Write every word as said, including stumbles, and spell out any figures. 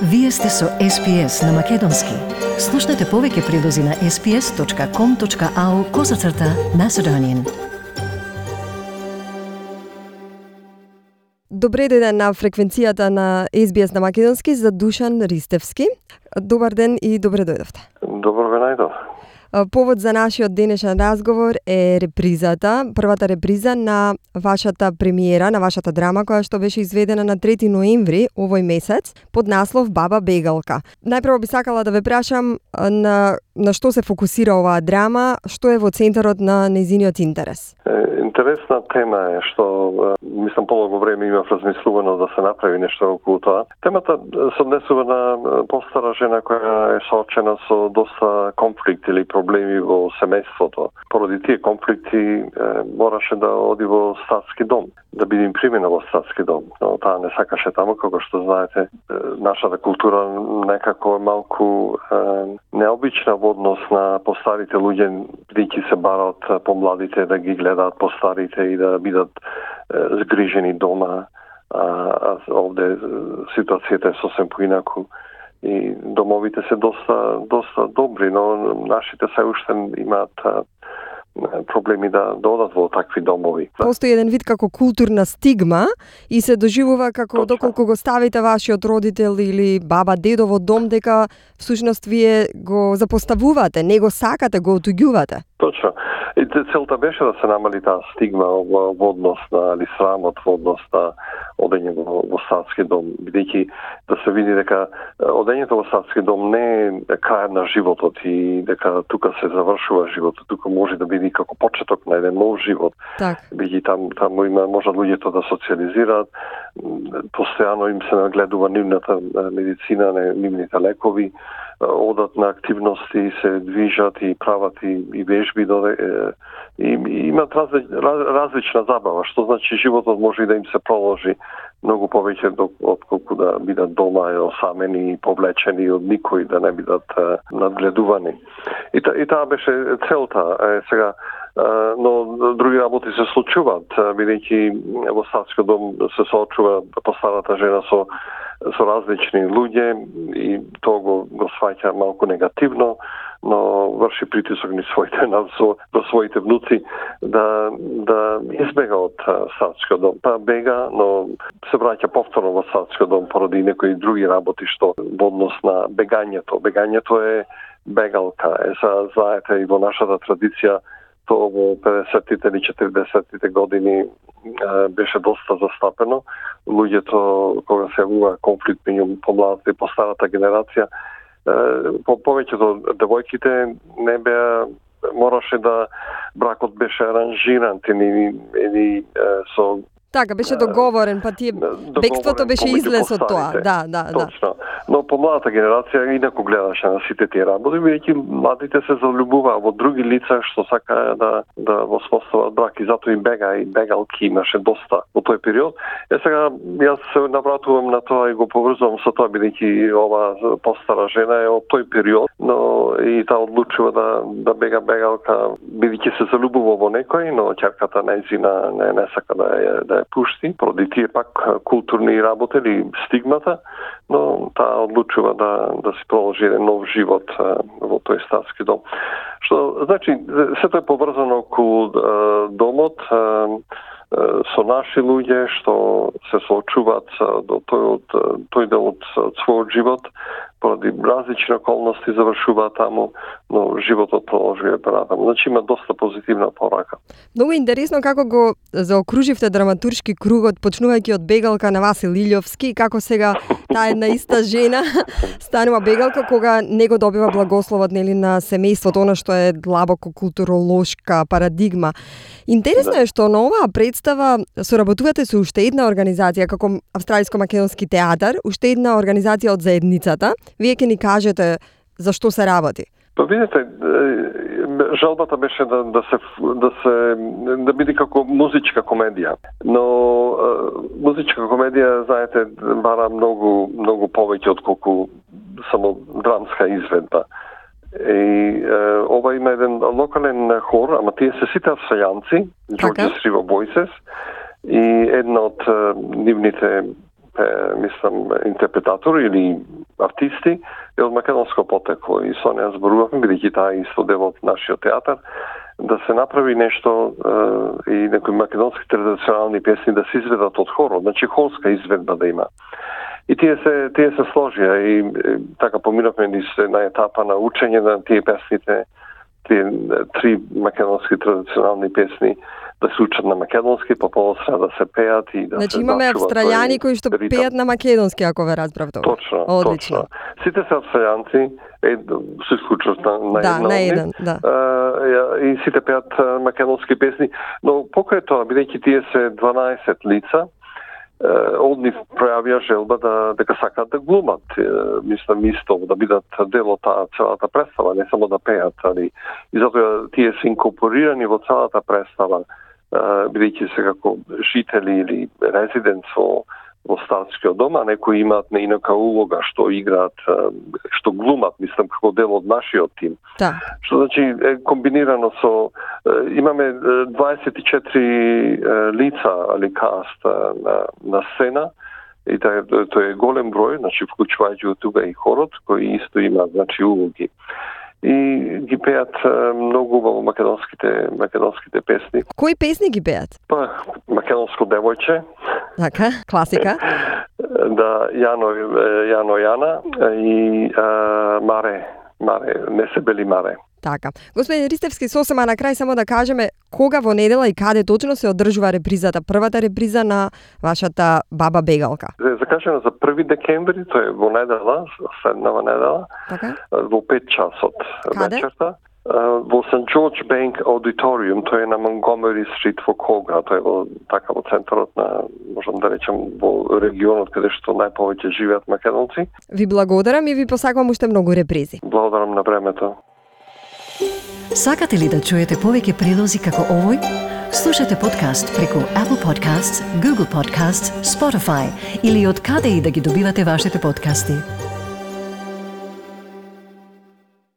Вие сте со Ес Би Ес на Македонски. Слушнете повеќе прилози на ес би ес точка ком точка ау козацрта Macedonian. Добре дојден на фреквенцијата на Ес Би Ес на Македонски за Душан Ристевски. Добар ден и добре дојдовте. Добро ве најдов. Повод за нашиот денешен разговор е репризата, првата реприза на вашата премиера, на вашата драма, која што беше изведена на трети ноември овој месец, под наслов Баба Бегалка. Најпрво би сакала да ве прашам на, на што се фокусира оваа драма, што е во центарот на нејзиниот интерес? Интересна тема е што, мислам, полого време имав размислувано да се направи нешто околу тоа. Темата се однесува на постара жена која е соочена со доста конфликти или проблеми во семејството. Поради тие конфликти е, мораше да оди во статски дом, да биде им примена во статски дом. Но таа не сакаше таму, како што знаете, е, нашата култура некако е малку е, необична во однос на постарите луѓе, бидејќи се барат помладите да ги гледаат постарите и да бидат е, згрижени дома. А, а овде ситуацијата е сосем поинаку. И домовите се доста доста добри, но нашите се уште имаат проблеми да додат во такви домови. Постои еден вид како културна стигма и се доживува како Точно. Доколку го ставите вашиот родител или баба, дедо во дом, дека всушност вие го запоставувате, не го сакате, го отуѓувате. Точно. И целта беше да се намали таа стигма во, во однос на или срамот во однос на одење во, во статски дом, бидејќи да се види дека одењето во статски дом не е крај на животот и дека тука се завршува животот, тука може да биде како почеток на еден нов живот. Так. Бидејќи там таму има може луѓето да социализираат, постојано им се нагледува нивната медицина, нивните лекови, одат на активности, се движат и прават и, и вежби, и, и имат разли, раз, различна забава, што значи животот може и да им се проложи многу повеќе отколку да бидат дома осамени и повлечени од никој, да не бидат е, надгледувани. И, та, и таа беше целта. Е, сега, е, но други работи се случуваат, бидејќи во статски дом се соочува постарата жена со со различни луѓе и тоа го, го сваќа малку негативно, но врши притисок ни своите на со, до своите внуци да да избега од статскиот дом. Па бега, но се враќа повторно во статскиот дом поради некои други работи што во однос на бегањето. Бегањето е бегалка. Е, са, знаете, и во нашата традиција тоа во педесеттите или четиридесеттите години е, беше доста застапено. Луѓето, кога се јавува конфликт меѓу помладата и постарата генерација, е, по повеќето девојките не беа, мораше да бракот беше аранжиран или, или е, со Така, беше договорен, па тие бегството беше излез од тоа. Да, да, да. Точно. Но помладата генерација инаку гледаше на сите тие работи, бидејќи младите се залюбуваа во други лица што сакаа да да воспостават брак и затоа и бега и бегалки имаше доста во тој период. Е сега јас се навратувам на тоа и го поврзувам со тоа бидејќи ова постара жена е од тој период, но и таа одлучува да да бега бегалка бидејќи се залюбува во некој, но ќерката нејзина не не сака да ја да ја пушти, поради тие пак културни работи или стигмата, но таа одлучува да да се проложи еден нов живот а, во тој статски дом. Што значи сето е поврзано околу а, домот а, со наши луѓе што се соочуваат до тој од тој дел од својот живот, поради различни околности завршуваат таму, но животот продолжува понатаму. Значи има доста позитивна порака. Многу интересно како го заокруживте драматуршки кругот, почнувајќи од бегалка на Васил Илјовски, како сега таа една иста жена станува бегалка кога не го добива благословот нели на семејството, она што е длабоко културолошка парадигма. Интересно е што на оваа представа соработувате со уште една организација како Австралиско-македонски театар, уште една организација од заедницата. Вие ќе ни кажете за што се работи? Па видите, жалбата беше да да се да се да биде како музичка комедија. Но музичка комедија, знаете, бара многу многу повеќе отколку само драмска изведба. И е, ова има еден локален хор, ама тие се сите австралијанци, George's River Voices, и една од нивните, е, мислам, интерпретатори или артисти е од македонско потекло и со неа зборувавме, бидејќи таа е исто дел од нашиот театар, да се направи нешто е, и некои македонски традиционални песни да се изведат од хорот, значи хорска изведба да има. И тие се тие се сложија и, и така поминавме низ на етапа на учење на тие песните, тие три македонски традиционални песни да се учат на македонски, па после да се пеат и да значи, се имаме австралијани кои што ритам. пеат на македонски, ако ве разбрав добро. Точно, Одлично. точно. Сите се австралијанци, е, се исклучат на, на Да, една на од нив, еден, да. а, и сите пеат а, македонски песни, но покрај тоа, бидејќи тие се дванаесет лица, од нив пројавија желба да дека сакаат да глумат, мислам исто да бидат дел од таа целата представа, не само да пеат, али и затоа тие се инкорпорирани во целата представа, бидејќи се како жители или резиденц во во старскиот дом, а некои имаат неинака улога што играат, што глумат, мислам како дел од нашиот тим. Да. Што значи е комбинирано со имаме дваесет и четири лица али каст на на сцена и тоа тој е голем број, значи вклучувајќи од тука и хорот кои исто имаат значи улоги. И ги пеат многу во македонските македонските песни. Кои песни ги пеат? Па македонско девојче. Така, класика. Да, Јано Јано Јана и а, Маре, Маре, не се бели Маре. Така. Господин Ристевски, сосема на крај само да кажеме кога во недела и каде точно се одржува репризата, првата реприза на вашата Баба Бегалка. Е закажено за први декември, тоа е во недела, следнава недела, така? Во пет часот вечерта. Во Сент Джордж Банк Auditorium, тоа е на Монгомери Стрит во Кога, тоа е во, така во центарот на, можам да речем, во регионот каде што најповеќе живеат македонци. Ви благодарам и ви посакувам уште многу репризи. Благодарам на времето. Сакате ли да чуете повеќе прилози како овој? Слушате подкаст преку Apple Podcasts, Google Podcasts, Spotify или од каде и да ги добивате вашите подкасти.